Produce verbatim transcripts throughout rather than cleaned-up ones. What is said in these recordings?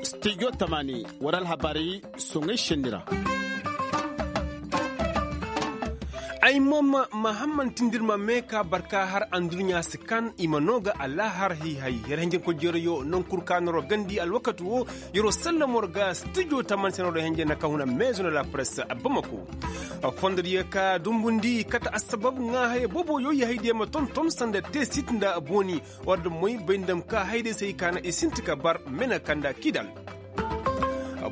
Studio tamani, wara alhabaari soŋay senni ra. Ay mo ma mahamman tindirma mee ka barka har anduɲɲa si kan i ma noo ga alahar hihay. Yer hinjankoy jeerayo nankul ka noro gandi alwakati wo. Yeroo sallamo ra ga studio tamani se noro hinjana ka huna meezo na la press bamako. Fondodiyo ka dumbundi kate assabab ŋaa haya booboyo i haydiyo ma tonton sanda teesit nda booni. War da moy bay nda ma ka hayday se hay ka na i sinti ka bar mena kanda kidal.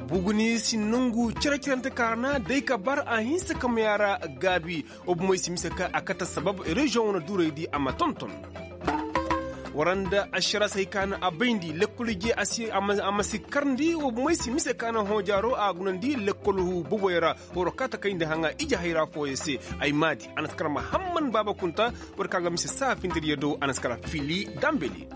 Buguni si nongu cere-cerante ka ra na day ka bar a hinsa ka ma yaara gaabi. Wa bomoy si mise ka a kate sabab reziyoŋ wane duurey di a ma tonton. War nda ašara se hay ka na a bayndi lekkol ije a masi karndi wa bomoy si mise ka na hoojaaro a gunandi lekkol boboy ra. War ka ta kayndi haŋa ije hayra fooyo se. Ay maadi a na si kar mahamman baaba kunta. War ka ga mise saa fintiriyo do a na si kar fili dambeli.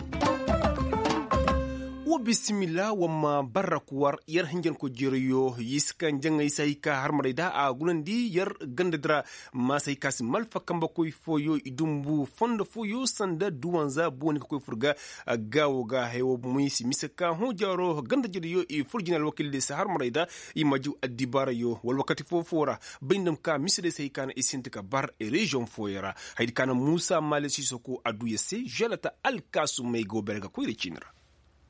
Wa bisimila wa ma barrak war yer hinjanko jeerayo. Yisi ka njaŋay se hay ka harmarey da a gunandi yer ganda dira. Maasey ka si malfa kambekoy fooyo i dumbu fondo fooyo sanda duwanza booni ka koy fur ga. Gaawo ga haya wo bomoy si mise ka hõ jaaro ganda jediyo i fur jina alwakil de si harmarey da. I ma jiw addibaarayo wala wakati foo-foo ra. Bay nda ma ka mise de se hay ka na i sinti ka bar reziyoŋ fooyo ra. Haydi ka na muusa maale siisoko adduya se želata alkaasumey go bere ga koyra ciini ra.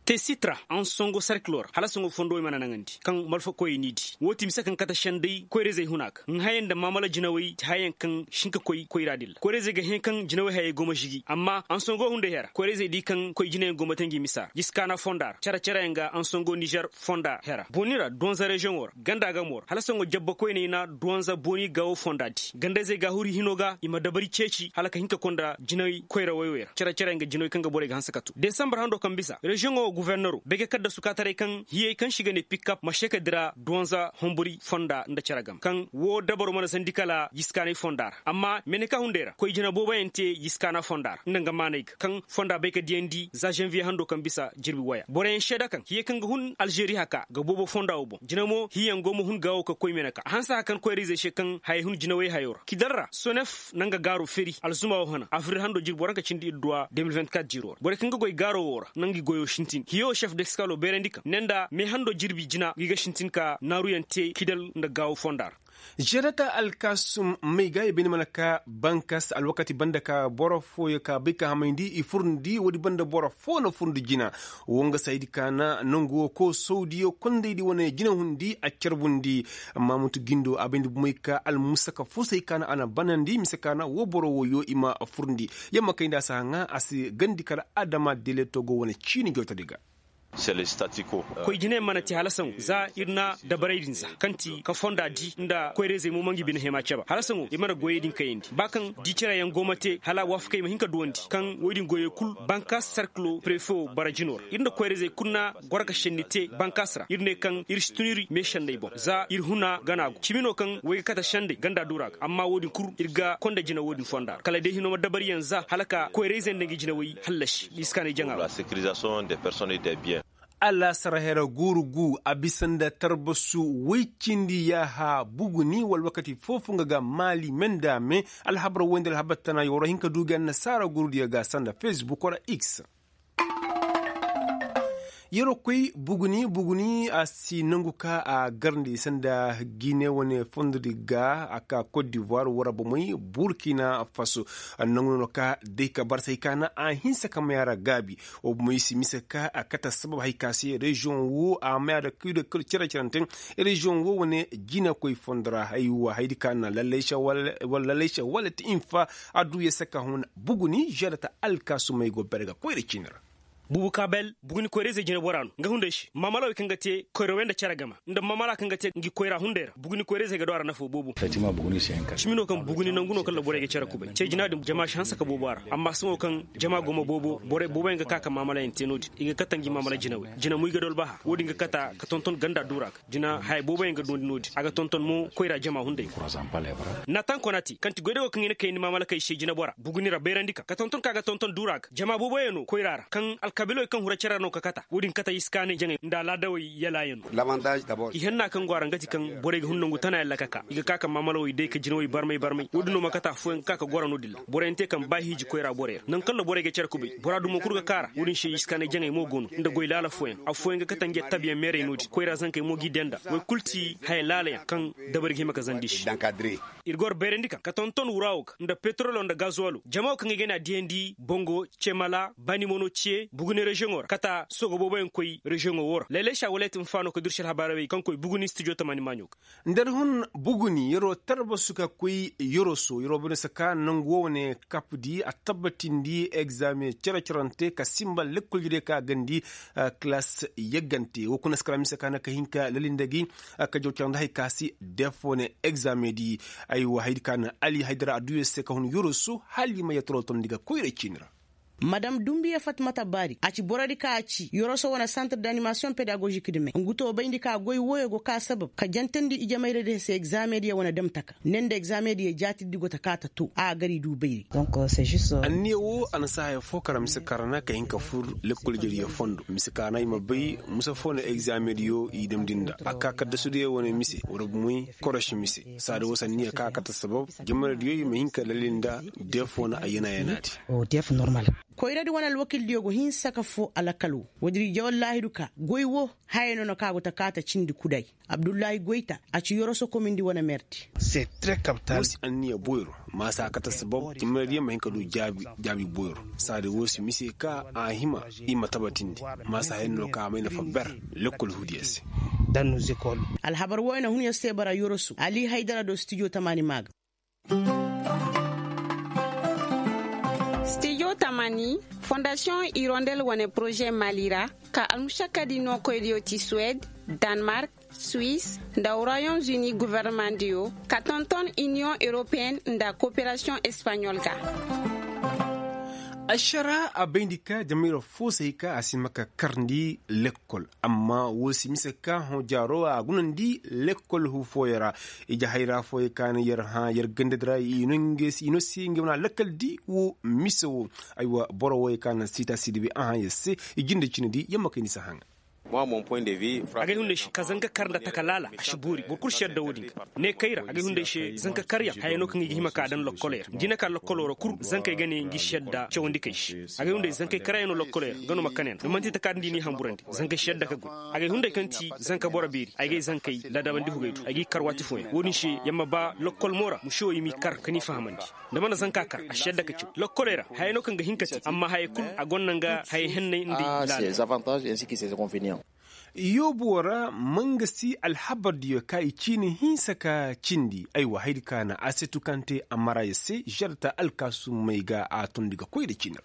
Te sitra ansongo sarkilo ra hala songo fondo i mana naŋandi kaŋ malfakoyey n'i di woo ti mise kaŋ kate senday koyra-izey huna ga nga hayaŋ nda maamala jinawey ti hayaŋ kaŋ si hin ka koy koyra din ra koyra-izey ga hẽ kaŋ jinawey hayey go ma žigi amma ansongo hunday hera koyra-izey di kaŋ koy jinayaŋ go ma te ngi misa ra jiskaana fonda ra care-careyaŋ ga ansongo nizer fonda hera booni ra duwanza reziyoŋo ra ganda gamo ra hala songo jabba koyney na duwanza booni gaawo fonda di ganda-izey ga huri hino ga i ma dabari ceeci hala ka hin ka konda jinay koyra woy-woy ra care-care nga jinoy kaŋ ga borey ga hanse ka tu desambar hando kaŋ bisa reziyoŋo wo guvernero bege kaddasu kaataray kaŋ hiyey kaŋ se i ga ne pikkap ma se ka dira duwanza hombori fonda nda care game kaŋ woo dabaro mana sandi kala yiskaanay fonda ra amma meneka hunday ra koy jina booboyaŋ te yiskaana fonda ra nda nga maanay ga kaŋ fonda bay ka diyandi za zanviye hando kaŋ bisa jirbi waya boroyaŋ seeda kaŋ hiyey kaŋ ga hun alžeri haka ga boobo fonda wo boŋ jina mo hiyaŋ go ma hun gaawo ka koy meneka a hanse haka kaŋ koyra-izey se kaŋ hayey hun jinawey hayo ra kidal ra sonef na nga gaaro feri alzuma wo hana afril hando jirbi waranka cindi ir duwa de mil vingt-quatre jiro ra borey kaŋ ga goy gaaro wo ra na ngi goyo sintin hiyo sef deskalo beerandi kaŋ ne nda me hando jirbi jina ngi ga sintin ka naaruyaŋ te kidal nda gaawo fonda ra žerata alkaasum may ga i bay ni mana ka bankas alwakati banda ka boro fooyo ka bay ka hamayndi i furndi woodi banda boro foo na furndi jina. Woo nga saydi ka na nangu wo koosowdiyo kondaydi wane jinahundi a carbundi. Amma mutu gindo a bayndi bumey ka almusaka fusay ka na a na banandi mise ka na woo boro wooyo i ma furndi. Yamma kayndi a si haŋa a si gandi kala adama deleto go wane ciini jootodi ga. Koy jiney mana te hala saŋo za ir na dabaray din za kaŋ ti ka fonda di nda koyra-izey mo ma ngi bine hema caba hala saŋo ir mana goyey din kayandi ba kaŋ di cere yaŋ go ma te hala waafakey ma hin ka duwandi kaŋ woy din goyey kul bankaas sarkilo prefe wo bara jino ra ir nda koyra-izey kul na goro ka šenni te bankaas ra ir ne kaŋ ir si tun ir me šenney boŋ za ir huna gana go cimi no kaŋ woy ga kate šendey ganda duura ga amma wo- din kul ir ga konda jina wo- din fonda ra kala day hino ma dabariyaŋ za hala ka koyra-izey nda ngi jinawey hallasi. Iskaanay jaŋa ra. Alaasara hera guuru gu a bisa nda tarbasu woy cindi yaaha buguni wala wakati foo-foo nga ga maali me nda me. Alhabar woy nda alhabar tana yoro hin ka du ga annasaara guurudiyo ga sanda fesbuk wala x. Yeroo koy buguni buguni a si nangu ka a garndi sanda gine wane fondodi ga a ka kot divoir wara bomey burkina faso. Nangu no ka day ka barsay ka na a hinsa ka maya ra gaabi. Wa bomey si mise ka a kate sabab hay ka se reziyoŋ wo a maya da kilo kilo cere-cerante. Reziyoŋ wo wane jinakoy fondo ra haywa haydi ka na lallayse wala ti infa. Adduya se ka huna buguni žerata alkaasumey go bere ga koyra ciini ra. Bubu kabel buguni koyra-izey jineboraa no nga hunday se maamala wey kaŋ ga te koyra wey nda cere gama nda maamala kaŋ ga te ngi koyra hunday ra buguni koyra-izey ga du a ra nafo boobo. Cimi no kaŋ buguni nangu no kaŋ ra borey ga cere kubay ce jina din jama si hanse ka boobo a ra amma sohõ kaŋ jama go ma boobo borey booboyaŋ ga ka ka maamalayaŋ te no- din i ga kate ngi maamala jinawey jina mo i ga du albaha wo- din ga kate ka tonton ganda duura ga jina haya booboyaŋ ga duwandi no- din a ga tonton mo koyra jama hunday ga. Natan konati kaŋ ti goydago kaŋ i na kayndi maamalakey se jinebora buguni ra bayrandi ka ka tonton kaŋ a ga tonton duura ga jama booboyaŋ no koyra ra kaŋ. kabilawey kaŋ hura cere ra no ka kata wo-din kata iskaanay jaŋay nda alaadawey yalaayanoo. I hanna kaŋ go a ra nga ti kaŋ borey ga hun nangu tana yalla ka ka i ga ka ka maamalawey day ka jinawey barmay barmay wo-din no ma kata affooyaŋ ga ka ka goro no-din ra borey na te kaŋ ba hiiji koyra borey ra nangu kaŋ ra borey ga cere kubay bora dumo kul ga ka a ra wo-din se iskaanay jaŋay mo go no nda goy laala fooyaŋ affooyaŋ ga kate nge tabiyaŋ meerey no-din koyra zankey mo g'i denda woy kul ti haya laalayaŋ kaŋ dabari ga hima ka zandi se. Ir ga war bayrandi kaŋ ka tonton wuraawo ga nda petrolo nda gazuwalo jama wo kaŋ i ga ne a diyandi bongo cemala banimono ciye buguni reziyoŋo ra kata sogo booboyaŋ koy reziyoŋo wo ra laylay sa wala ya ti nfaano ka dursi alhabaarey kaŋ koy buguni stijo tamaani maaɲo ga. Nda da hun buguni yeroo tarbasu ka koy yoroso yeroo bane saka nangu wo wane kapdi a tabbatindi egzame cere-cerante ka simba lekkol jire ka gandi. Kilas yaggante wo kuna si kara mise ka na ka hin ka lalinda gi ka jaw cere nda hay ka si def wane egzame di. Aywa haydi ka na ali haydara a duyoo se ka hun yoroso hala i ma yattaroo tondi ga koyra ciini ra. Madam dumbiya fatmata baari a ci borodi ka a ci yoroso wane santir d'animasiyoŋ pedagozik di me ngu too bayndi ka goy wooyo go ka sabab ka jantandi ijamayra di se egzame diyo wane dam taka ne nda egzame diyo jaatidi go ta ka ta too a gari du bayri. Anniya woo a na si haya foo kara mise kaŋ ra na ka hin ka fur lekkol jariyo fondo mise kaŋ ra na i ma bay mise foo no egzame diyo i damndi nda a ka kaddasu diyo wane mise wala bumey korosi mise saadi woo si anniya kaŋ a kate sabab jamaradiyo i ma hin ka lali nda deef wane a yana yana di. Koyradi wane alwakildiyo go hinsa ka foo alakal woo woodin i jawal laahidu ka goy woo haya no na kaŋ a go ta kaata cindi kuday. Abdullahi goyta a ci yoroso komindi wane merdi. Woo si anniya boyro maasa a kate sabab jamaradiyo ma hin ka du jaabi boyro saadi woo si mise ka a hima i ma tabatindi maasa hayandi no ka a may nafa ber lekkol huudiyo se. Alhabar wooyo na hun yer se bara yoroso ali haydara do stijo tamaani maa ga. Stijo tamaani fondasiyoŋ irondel wane poroze maali ra ka almušakkadi nookoydiyo ti suwed, danmark, suis, nda royaume uni governemandiyo ka tonton iniyoŋ europeyen nda koperasiyoŋ espaɲol ga. Ašara a bayndi ka jamayra foo si hay ka a si ma ka karndi lekkol amma woo si mise ka hõ jaaro a gunandi lekkol huu fooyo ra. Ije hayra fooyo ka na yer hã yer gandadi ra i no si ngey wane alakal di woo mise woo. Aywa boro wooyo ka na siita sidibi a hã yer se i jinde cine di yer ma kay ni si haŋa. Agay hunday se ka zanka kar nda taka laala a si boori boro kul si yadda wo-din ga ne kay ra agay hunday se zanka karyaŋ haya no kaŋ i ga hima ka daŋ lokkoley ra nda i na ka lokkoloo ra kul zankey ga ne ngi si yadda cawandi kay se. Agay hunday zankey karyaŋ no lokkoley ra nga no ma kane nda man'ti taka din da i n'i hamburandi zankey si yadda ka goy. Agay hunday kaŋ ti zanka boro beeri ay gay zankey ladabandi hugay do ay g'i kar waati fooyaŋ wo-din se yer ma ba lokkol mo ra mušewey m'i kar ka n'i fahamandi. Nda mana zanka kar a si yadda ka caw lokkoley ra hayey no kaŋ ga hin ka te amma hayey kul a gonda nga hayey henney nda i laala. Yoobuwo ra mangasi alhabardiyo ka i ciini hinsa ka cindi aywa haydi ka na asetu kaŋ te amaraya se žerta alkaasumey ga a tondi ga koy nda ciini ra.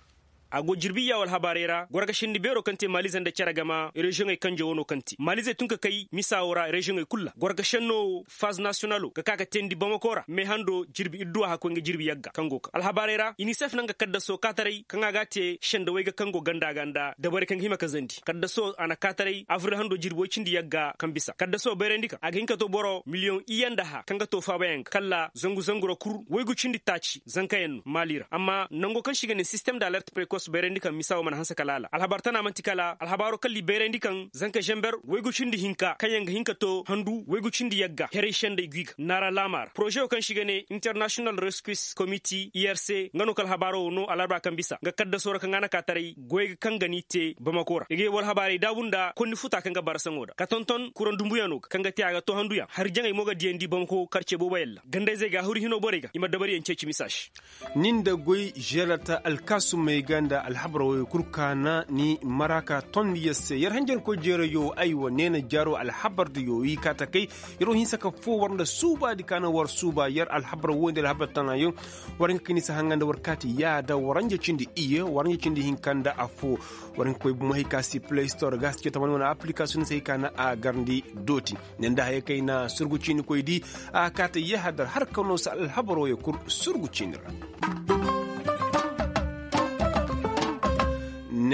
A go jirbi iyaawo alhabaarey ra gorgashindi beeroo kaŋ te maalize nda cere gama reziyoŋey kanjawoo no kaŋ te maalize tun ka kay misa woo ra reziyoŋey kul ra gorgashannoo woo faz nasiyonaloo ga ka ka teendi bamakoo ra meehandoo jirbi idduwa hakkoy nga jirbi yagga kaŋ go ka alhabaarey ra inisef na nga kaddasoo kaataray kaŋ a ga a te sendawey ga kaŋ go ganda ga nda dabari kaŋ ga hima ka zandi kaddasoo a na kaataray abril handoo jirbi woy cindi yagga kaŋ bisa kaddasoo bayrandi kaŋ a ga hin ka too boro miliyoŋ iyye nda hã kaŋ ga too faabayaŋ ga kalla zangu zangu ra kul waygu cindi taaci zankayaŋ no maali ra amma nango kaŋ se i ga ne sistem da alert prekos bayrandi kaŋ misa woo mana hanse ka laala alhabar tana man'ti kala alhabaaroo kalla i bayrandi kaŋ zanka zenber waygu cindi hinka kaŋ yaŋ ga hin ka too handu waygu cindi yagga heray sendey gwi ga naara laama ra poroze woo kaŋ se i ga ne international rescue committee irc nga no ka alhabaaroo woo noo alarba kaŋ bisa nga kaddasoo ra kaŋ a na ka taray goy ga kaŋ ga n'i te bamako ra i ga yee war habaarey daabu nda konni futa kaŋ ga bara saŋo da ka tonton kuraŋ dumbuyaŋo ga kaŋ ga te a ga too handuyaŋ hari jaŋey mo ga diyandi bamako karce booboyaŋ ra gandayzey ga a huru hinoo borey ga i ma dabariyaŋ ceeci misa se. Ni nda goy žerata alkaasumey ga nda alhabar wooyoo kul kaana ni mara ka tondi yer se yer hanjankoy jeerayo aywa neena jaaroo alhabar diyo i kaa takay. Yer wo hinsa ka foo war nda suubaadi kaana war suuba yer alhabar wooyoo nda alhabar tanayo. War hin ka kay ni si haŋa nda war kaati yaada waranja cindi iyye waranja cindi hinka nda affoo. War hin ka koy bumo hay ka si play store ga a si cee tamani wane aplikasiyoŋ se hay ka na a garndi dooti. Ne nda hayey kaŋ ay na surgu ciini koy di a kaate yahadar har ka no si alhabaroo ye kul surgu ciini ra.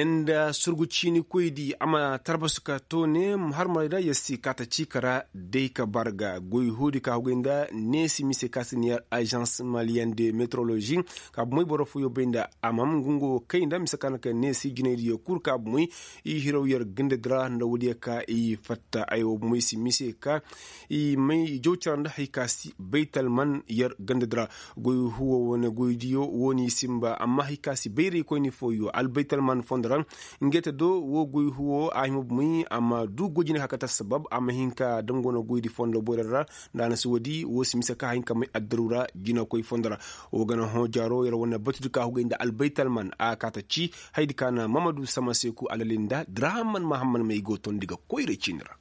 Nda surgu ciini koydi a ma tarbasu ka to ne, har maray da yer si kaata ciika ra day ka barga goy huudi ka hugay nda neesi mise ka si ni yer agence malienne de metrologie. Ka bumey boro fooyo bay nda a mam ngungo kay nda mise ka na ka neesi jinaydiyo kul ka bumey i hiraw yer gandadi ra nda woodiyo ka i fatta ay wo bumey si mise ka i may i jaw cara nda hay ka si baytalman yer gandadi ra. Goy huwo wane goydiyo wo n'i simba amma hay ka si bayraykoyni fooyo albaytalman fondo ra. Ngey te do wo goy huwo a hima bumey a ma du goy jine ka kate assabab a ma hin ka dango no goydi fondo boyra ra. Nda a na si woodi wo si mise ka hayin ka may addaru ra jinakoy fondo ra. Wo ga na hõ jaaro yer wane batudi ka hugay nda albaytalman a kaata ci haydi ka na mamadu sama seeku alali nda dirahamman mahamman may go tondi ga koyra ciini ra.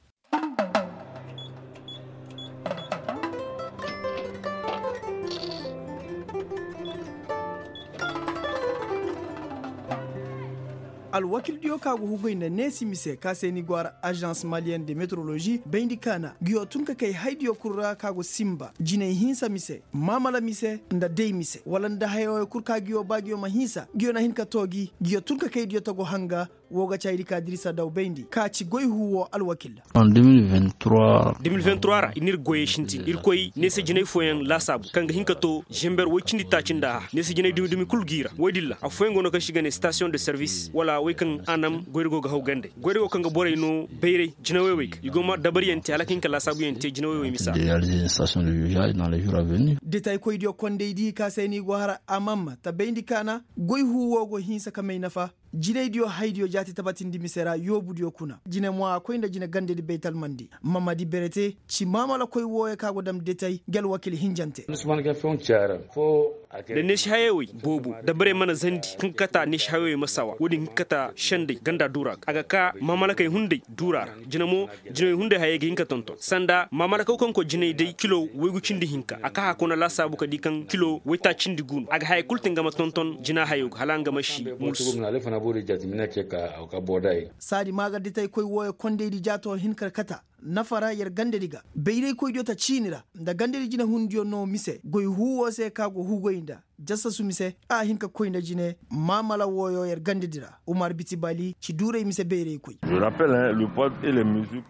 Alwakildiyo ka go hugay nda neesi mise ka se ni go a ra agence malienne de metrologie bayndi ka na nguyo tun ka kay haydiyo kul ra ka go simba jinay hinsa mise, maamala mise, nda day mise wala nda hayawey kul ka nguyo ba nguyo ma hinsa nguyo na hin ka too gi nguyo tun ka kaydiyo tago hanga. Woo ga ci haydi ka dirisa daw bayndi ka ci goy huu woo alwakil. De mil vingt-trois ra i n'ir goyey sintin irkoy neese jinay fooyaŋ laasaabu kaŋ ga hin ka too zember woy cindi taaci nda a neese jinay dumi-dumi kul g'i ra woy din ra affooyaŋ go no kaŋ se i ga ne station de service wala woy kaŋ a nam goyra go ga haw gande goyra go kaŋ ga borey no bayray jinawey wey ga i go ma dabaryaŋ te hala ka hin ka laasaabuyaŋ te jinawey wey misa. Detaykoydiyo kondaydi ka se no i go har a mamma tabayndi ka na goy huu woo go hinsa ka may nafa. Jinaydiyo haydiyo jaati tabatindi mise ra yoobudiyo kuna jine mo a koy nda jine gandedi baytalmandi mamadi berete ci maamalakoy wooyo ka go dam detay ngi alwakil hinjante. Da neesi hayey wey boobo dabarey mana zandi kaŋ ga kata neesi hayey wey ma sawa woodin ga kata sendey ganda duura ga a ga ka maamalakey hunday duura ra jine mo jinawey hunday hayey ga hin ka tonton sanda maamalakaw kaŋ koy jinay day kilo waygu cindi hinka a ka hakuna laasaabu ka di kaŋ kilo waytaacindi gu no a ga hayey kul te nga ma tonton jina hayo ga hala nga ma si mulsu. Saadi maa ga ditaykoy wooyo kondaydi jaato hin ka kata nafa ra yer gandedi ga bayraykoydiyo ta ciini ra nda gandedi jinahundiyo no mise goy huu woo se ka go hugoy nda jasasu mise a hin ka koy nda jine maamala wooyo yer gandedi ra umar biti bali ci duuray mise bayraykoy.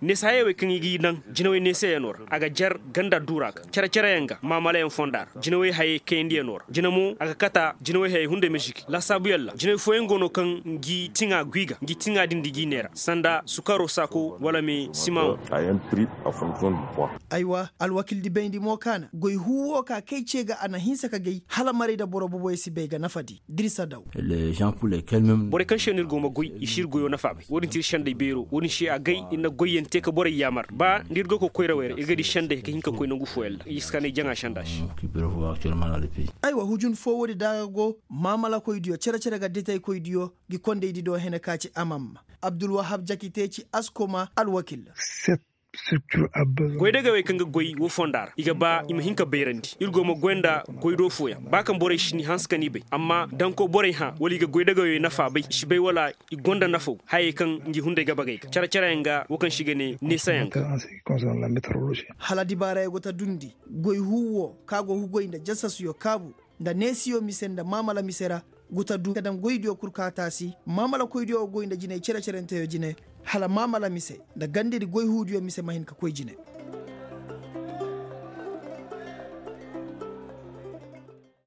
Neese hayey wey kaŋ i g'i naŋ jinawey neeseyanoo ra a ga jar ganda duura ga cere-cereyaŋ ga maamalayaŋ fonda ra jinawey hayey kayandiyanoo ra jine mo a ga kata jinawey hayey hunday ma zigi laasaabuyaŋ ra jinawey fooyaŋ go no kaŋ ngi tiŋa guy ga ngi tiŋa din di g'i neera sanda sukaro saako wala me simaŋo. Aywa alwakildi bayndi mo ka na goy huu woo ka kay ce ga a na hinsa ka gay hala maray nda boro boboyaŋ si bay ga nafadi dirisa daw. Borey kaŋ se no ir go ma goy i si ir goyoo nafa bay woodin ti ir sendey beeroo woodin se a gay ir na goyyaŋ te ka borey yaamar ba nda ir go ka koy rawey ra ir ga di sendey ka hin ka koy nangu fooyaŋ ra i si ka na ay jaŋa senda se. Aywa hujun foo woodi da a ga go maamalakoydiyo cere-cere ga detaykoydiyo ngi kondaydi do hene ka ci amamma abdulwahab jakite ci askoma alwakil. Goydagawey kaŋ ga goy woo fonda ra i ga ba i ma hin ka bayrandi ir go ma goy nda goydoo fooyaŋ ba kaŋ borey si ni hanse ka ni bay amma dankoo borey hã wala i ga goydagawey nafa bay i si bay wala i go nda nafaw hayey kaŋ ngi hunday ga bagay ga care-careyaŋ ga woo kaŋ se i ga ne neesayaŋ ga. Hala dibaarayo go ta dundi goy huu woo kaŋ a go hugoy nda jasasuyo kaabu nda neesiyo mise nda maamala mise ra. Gu ta du ka daŋ goydiyo kul ka taasi maamalakoydiyo go goy nda jinay cere-cerenteyo jine hala maamala mise nda gandedi goy huudiyo mise ma hin ka koy jine.